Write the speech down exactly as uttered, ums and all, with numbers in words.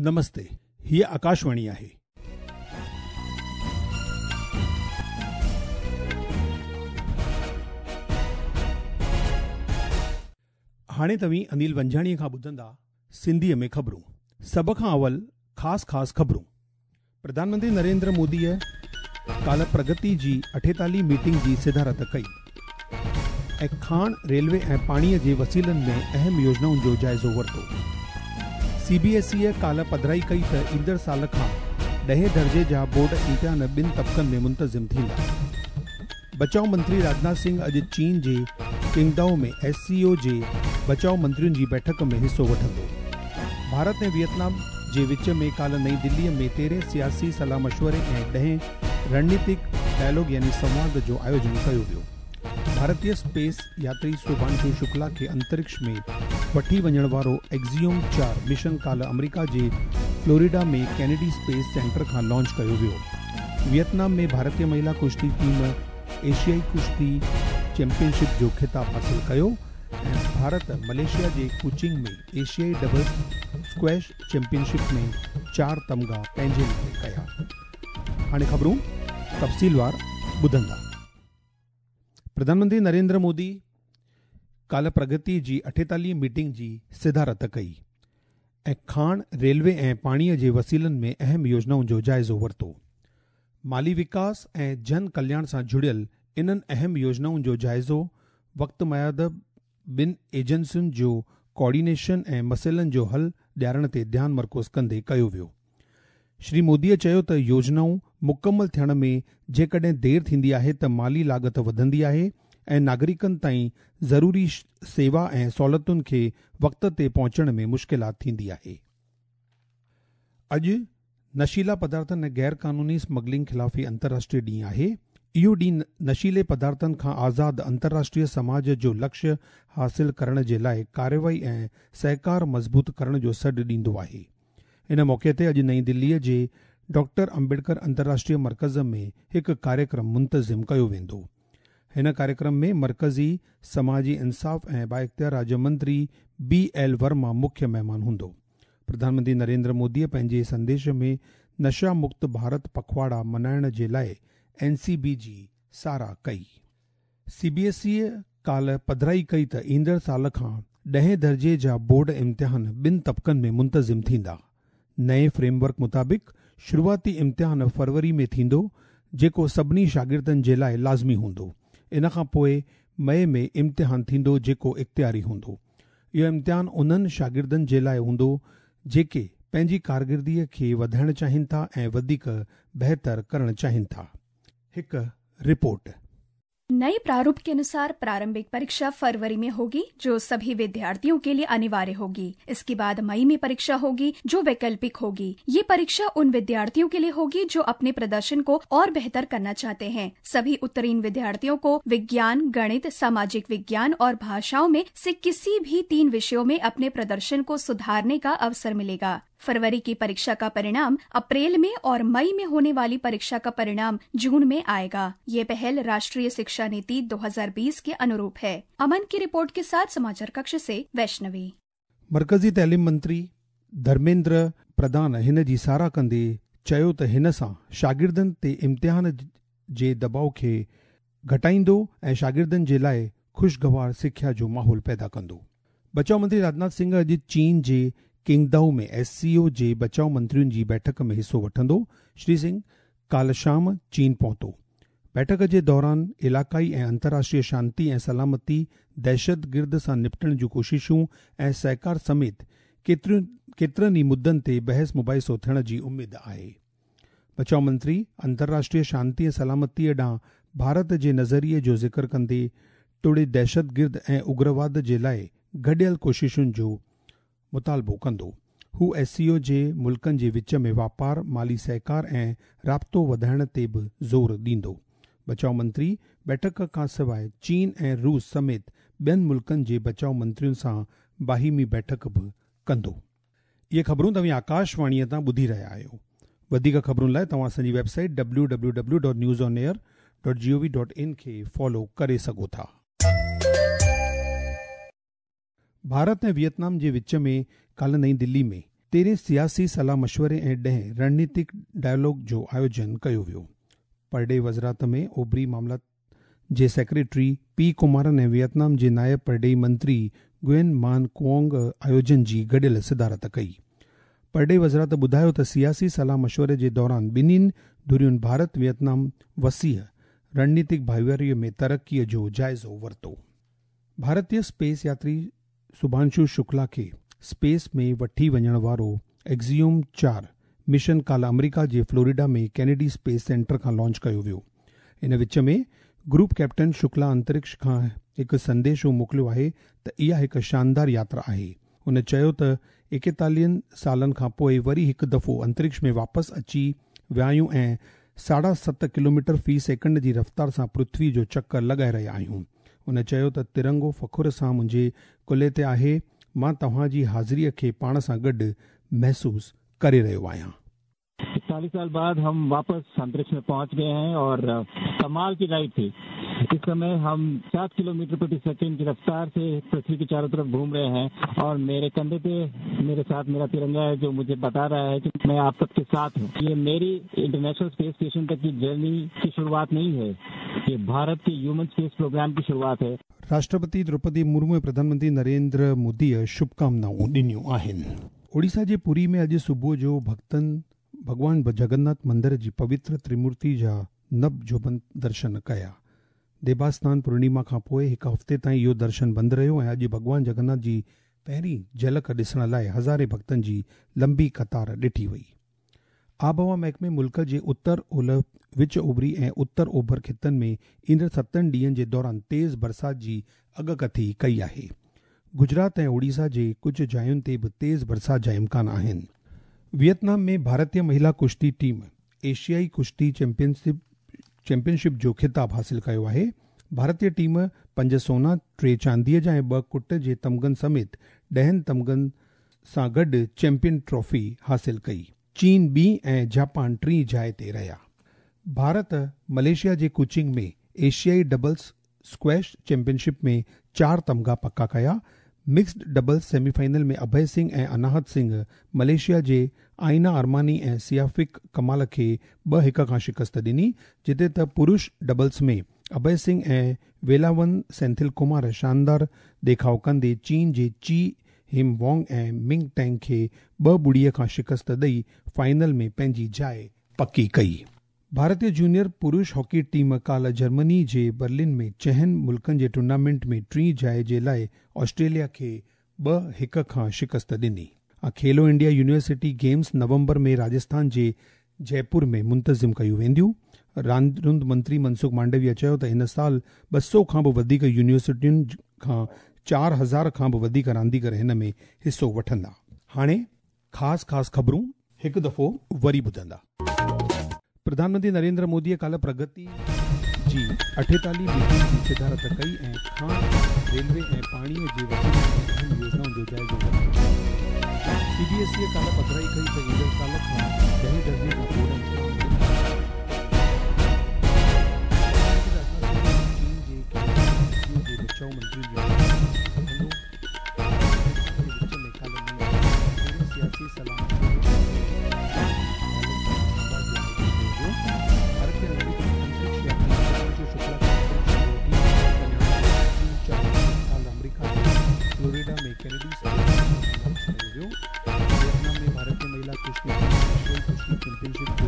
نمستي، هيء آڪاشواڻي آهي. هاڻي توهين انيل ونجهاڻيءَ کان ٻڌندا سنڌيءَ ۾ خبرون. سڀ کان اول خاص خاص خبرون. پرڌان منتري نريندر موديءَ ڪالهه پرگتي جي اٺيتاليهه ميٽنگ جي صدارت ڪئي ۽ کاڻ، ريلوي ۽ پاڻيءَ جي وسيلن ۾ اهم يوجنائن جو جائزو ورتو. سي بي ايس ايءَ ڪالهه پڌرائي ڪئي ته ايندڙ سال کان ڏهين درجي جا بورڊ امتحان ٻن طبقن ۾ منتظم ٿيندا. بچاءُ منتري راجناٿ سنگهه اڄ چين جي ڪنگدائو ۾ ايس سي او جي بچاءُ منترين جي بيٺڪ ۾ حصو وٺندو. ڀارت ۽ ويٽنام جي وچ ۾ ڪالهه نئين دليءَ ۾ تيرهين سياسي صلاح مشوري ۽ ڏهين رڻنيتڪ ڊائلاگ يعني سنواد جو آيوجن ڪيو ويو. ڀارتيه اسپيس ياتري شڀانشو شڪلا کي انترڪش ۾ وٺي وڃڻ وارو ايگزيوم چار مشن ڪالهه آمريڪا جي فلوريڊا ۾ ڪينيڊي اسپيس سينٽر کان لانچ ڪيو ويو. ويٽنام ۾ ڀارتيه مهلا ڪشتي ٽيم ايشيائي ڪشتي چيمپيئن شپ جو خطاب حاصل ڪيو ۽ ڀارت ملائيشيا جي ڪوچنگ ۾ ايشيائي ڊبلز اسڪواش چيمپيئن شپ ۾ چار تمغا پنهنجي نالي ڪيا. هاڻي خبرون تفصيلوار ٻڌندا. پرڌان منتري نريندر مودي ڪالهه پرگتي جي اٺيتاليهه ميٽنگ جي صدارت ڪئي ۽ کاڻ، ريلوي ۽ پاڻيءَ جي وسيلن ۾ اهم يوجنائن جو جائزو ورتو. مالي وڪاس ۽ جن ڪلياڻ سان جڙيل انهن اهم يوجنائن جو جائزو وقت ميعاد ٻن ايجنسين جو ڪوآرڊينيشن ۽ مسئلن جو حل ڏيارڻ تي ڌيان مرڪوز ڪندي ڪيو ويو. شري موديءَ چيو ته يوجنائون مڪمل ٿيڻ ۾ جيڪڏهن دير ٿيندي آهي ته مالي لاڳت وڌندي آهي ۽ ناگرڪن تائين ضروري سيوا ۽ سهولتن کي وقت تي پهچڻ ۾ مشڪلات ٿيندي آهي. اڄ نشيلا پدارٿن ۽ غير قانوني اسمگلنگ خلاف انترراشٽريه ڏينهن آهي. اهو ڏينهن نشيلي پدارٿن کان آزاد انترراشٽريه سماج جو لڪشيه حاصل ڪرڻ جي لاءِ ڪارروائي ۽ سهڪار مضبوط ڪرڻ جو سڏ ڏيندو آهي. ان موقعي تي اڄ نئين دليءَ جي ڊاڪٽر امبيڊڪر انترراشٽريه مرڪز ۾ هڪ ڪاريڪرم منتظم ڪيو ويندو. هن ڪاريڪرم ۾ مرڪزي سماجي انصاف ۽ بااختيار راجيه منتري بي ايل ورما مکيه مهمان هوندو. پرڌان منتري نريندر موديءَ پنهنجي سنديش ۾ نشا مڪت ڀارت پکواڙا ملهائڻ جي لاءِ اين سي بي جي ساراهه ڪئي. سي بي ايس ايءَ ڪالهه پڌرائي ڪئي ته ايندڙ سال کان ڏهين درجي جا بورڊ امتحان ٻن طبقن ۾ منتظم ٿيندا. نئين فريم ورڪ مطابق شروعاتي امتحان فروري ۾ ٿيندو، جيڪو سڀني شاگردن جي لاءِ لازمي هوندو. ان کان پوءِ مئي ۾ امتحان ٿيندو، جيڪو اختياري هوندو. اهو امتحان انهن شاگردن جي لاءِ هوندو جيڪي پنهنجي ڪارڪردگيءَ کي وڌائڻ چاهين ٿا ۽ وڌيڪ بهتر ڪرڻ چاهين ٿا. هڪ رپورٽ. नए प्रारूप के अनुसार प्रारंभिक परीक्षा फरवरी में होगी, जो सभी विद्यार्थियों के लिए अनिवार्य होगी। इसके बाद मई में परीक्षा होगी, जो वैकल्पिक होगी। ये परीक्षा उन विद्यार्थियों के लिए होगी जो अपने प्रदर्शन को और बेहतर करना चाहते हैं। सभी उत्तीर्ण विद्यार्थियों को विज्ञान, गणित, सामाजिक विज्ञान और भाषाओं में से किसी भी तीन विषयों में अपने प्रदर्शन को सुधारने का अवसर मिलेगा। फरवरी की परीक्षा का परिणाम अप्रैल में और मई में होने वाली परीक्षा का परिणाम जून में आएगा। ये पहल राष्ट्रीय शिक्षा नीति दो हज़ार बीस के अनुरूप है। अमन की रिपोर्ट के साथ समाचार कक्ष से वैष्णवी। मरकज़ी तालीम मंत्री धर्मेंद्र प्रधान हिन जी साराह कंदे चयो त हिन सां शागिर्दनि ते इम्तिहान जे दबाव खे घटाईंदो ऐं शागिर्दनि जे लाइ ख़ुशगवार सिख्या जो माहौल पैदा कंदो। बचाव मंत्री राजनाथ सिंह अॼु चीन जे किंगदाओ में एस सी ओ जे बचाव मंत्रियुनि जी बैठक में हिसो वठंदो। श्री सिंह काल्ह शाम चीन पहुतो। बैठक जे दौरान इलाक़ाई ऐं अंतर्राष्ट्रीय शांति ऐं सलामती, दहशतगिर्द सां निपटण जूं कोशिशूं ऐं सहकार समेत केतिरियुं केतिरनि ई मुद्दनि ते बहस मुबाहिसो थियण जी उमेद आहे। बचाव मंत्री अंतर्राष्ट्रीय शांति ऐं सलामतीअ ॾांहुं भारत जे नज़रिए जो ज़िक्र कंदे टोड़े दहशतगिर्द ऐं उग्रवाद जे लाइ गॾियल कोशिशुनि जो मुतालबो कंदो। हू एस सी ओ जे मुल्कनि जे विच में वापार, माली सहकार ऐं राब्तो वधाइण ते बि ज़ोर ॾींदो। बचाव मंत्री बैठक खां सवाइ चीन ऐं रूस समेत ॿियनि मुल्कनि जे बचाव मंत्रियुनि सां बाहिमी बैठक बि कंदो। इहे ख़बरूं तव्हां आकाशवाणीअ तां ॿुधी रहिया आहियो। वधीक ख़बरुनि लाइ तव्हां असांजी website W W W dot news on air dot G O V dot in खे फॉलो करे सघो था। भारत ऐं वियतनाम जे विच में काल्ह नई दिल्ली में तेरहं सियासी सलाह मशवरे ऐं ॾहें रणनीतिक डायलॉग जो आयोजन कयो वियो। परॾेही वज़ारत में ओभरी मामला जे सेक्रेटरी पी कुमारन ऐं वियतनाम जे नायब परॾेही मंत्री गुएन मान कुओंग आयोजन जी गॾियल सदारत कई। परॾेही वज़ारत ॿुधायो त सियासी सलाह मशवरे जे दौरान ॿिन्हिनि धुरियुनि भारत वियतनाम वसीअ रणनीतिक भाईवारीअ में तरक़ीअ जो जाइज़ो वरितो। भारतीय स्पेस यात्री शुभांशु शुक्ला खे स्पेस में वठी वञण वारो एक्सियोम चार मिशन काल्ह अमेरिका जे फ्लोरिडा में कैनेडी स्पेस सेंटर खां लॉन्च कयो वियो। इन विच में ग्रुप कैप्टन शुक्ला अंतरिक्ष खां हिकु संदेशो मोकिलियो आहे त इहा हिकु शानदार यात्रा आहे। हुन चयो त एकतालीहनि सालनि खां पोइ वरी हिकु दफ़ो अंतरिक्ष में वापसि अची विया आहियूं ऐं साढा सत किलोमीटर फ़ी सेकंड जी रफ़्तार सां पृथ्वी जो चक्कर लॻाए रहिया आहियूं। हुन चयो त तिरंगो फ़ख्र सां मुंहिंजे कुल्हे ते आहे, मां तव्हांजी हाज़िरीअ खे पाण सां गॾु महसूसु करे रहियो आहियां। इकतालीस साल बाद हम वापस अंतरिक्ष में पहुंच गए हैं और कमाल की राइड थी। इस समय हम सात किलोमीटर प्रति सेकंड की रफ्तार से पृथ्वी के चारों तरफ घूम रहे हैं और मेरे कंधे पे मेरे साथ मेरा तिरंगा है जो मुझे बता रहा है कि मैं आप सबके साथ हूँ। ये मेरी इंटरनेशनल स्पेस स्टेशन तक की जर्नी की शुरुआत नहीं है, ये भारत के ह्यूमन स्पेस प्रोग्राम की शुरुआत है। राष्ट्रपति द्रौपदी मुर्मू ऐं प्रधानमंत्री नरेंद्र मोदीअ शुभकामनाऊं ॾिनियूं आहिनि। ओडिशा जे पुरी में अॼु सुबुह जो भक्तनि भॻवान जगन्नाथ मंदिर जी पवित्र त्रिमूर्ति जा नब जोबन दर्शन कया। देवास्नान पूर्णिमा खां पोइ हिकु हफ़्ते ताईं इहो दर्शन बंदि रहियो ऐं अॼु भॻवान जगन्नाथ जी पहिरीं झलक ॾिसण लाइ हज़ारे भक्तनि जी लंबी कतार ॾिठी वई। आबहवा महकमे मुल्क जे उत्तर ओलह, विच उभरी ऐं उत्तर ओभर ख़ितनि में ईंदड़ सतनि ॾींहनि जे दौरान तेज़ बरसाति जी अॻकथी कई आहे। गुजरात ऐं ओडिशा जे कुझु जायुनि ते बि तेज़ बरसाति जा इम्कान आहिनि। वियतनाम में भारतीय महिला कुश्ती टीम एशियाई कुश्ती चैंपियनशिप चैंपियनशिप जो ख़िताब हासिल कयो आहे। भारतीय टीम पंज सोना, टे चांदीअ जा ऐं ॿ कुट जे तमगनि समेत ॾहनि तमगनि सां गॾु चैंपियन ट्रॉफी हासिल कई। चीन ॿी ऐं जापान टीं जाइ ते रहिया। भारत मलेशिया जे कुचिंग में एशियाई डबल्स स्क्वैश चैंपियनशिप में चार तमगा पक्का कया। मिक्स्ड डबल्स सेमीफाइनल में अभय सिंह ऐं अनाहत सिंह मलेशिया जे आइना अरमानी ऐं सियाफिक कमाल खे ॿ हिकु खां शिकस्त ॾिनी, जिते त पुरुष डबल्स में अभय सिंह ऐं वेलावन सेंथिल कुमार शानदार देखाव कंदे चीन जे ची हिम वोंग ऐं मिंग टैंग खे ॿ ॿुड़ीअ खां शिकस्त ॾेई फाइनल में पंहिंजी जाइ पकी कई। भारतीय जूनियर पुरुष हॉकी टीम काल्ह जर्मनी जे बर्लिन में चहनि मुल्कनि जे टूर्नामेंट में टीं जाइ जे लाइ ऑस्ट्रेलिया खे ॿ हिकु खां शिकस्त ॾिनी। खेलो इंडिया यूनिवर्सिटी गेम्स नवंबर में राजस्थान जे जयपुर में मुंतज़िम कयूं वेंदियूं। रांदि मंत्री मनसुख मांडविया चयो त हिन साल ॿ सौ खां बि वधीक यूनिवर्सिटियुनि खां चार हज़ार खां बि वधीक रांदीगर हिन में हिसो वठंदा। हाणे ख़ासि ख़ासि ख़बरूं हिकु दफ़ो वरी ॿुधंदा। प्रधानमंत्री नरेंद्र मोदीअ काल्ह प्रगति जी अठेतालीह मीटिंग जी सदारत कई ऐं खान, रेलवे ऐं पाणीअ जे वसीलनि ऐं अहम योजनाउनि जो जाइज़ो वरितो। सीबीएसई काल्ह पधराई कई त ईंदड़ साल खां ॾहें दर्जे खां बोर्ड चीन जे जे बचाव मंत्री विच में काल्ह सियासी सलाह फ्लोरिडा में कैनेडी स्पेस लॉन्च कयो वियो। वियतनाम में भारतीय महिला कुश्ती टीम एशियाई कुश्ती चैंपियनशिप जो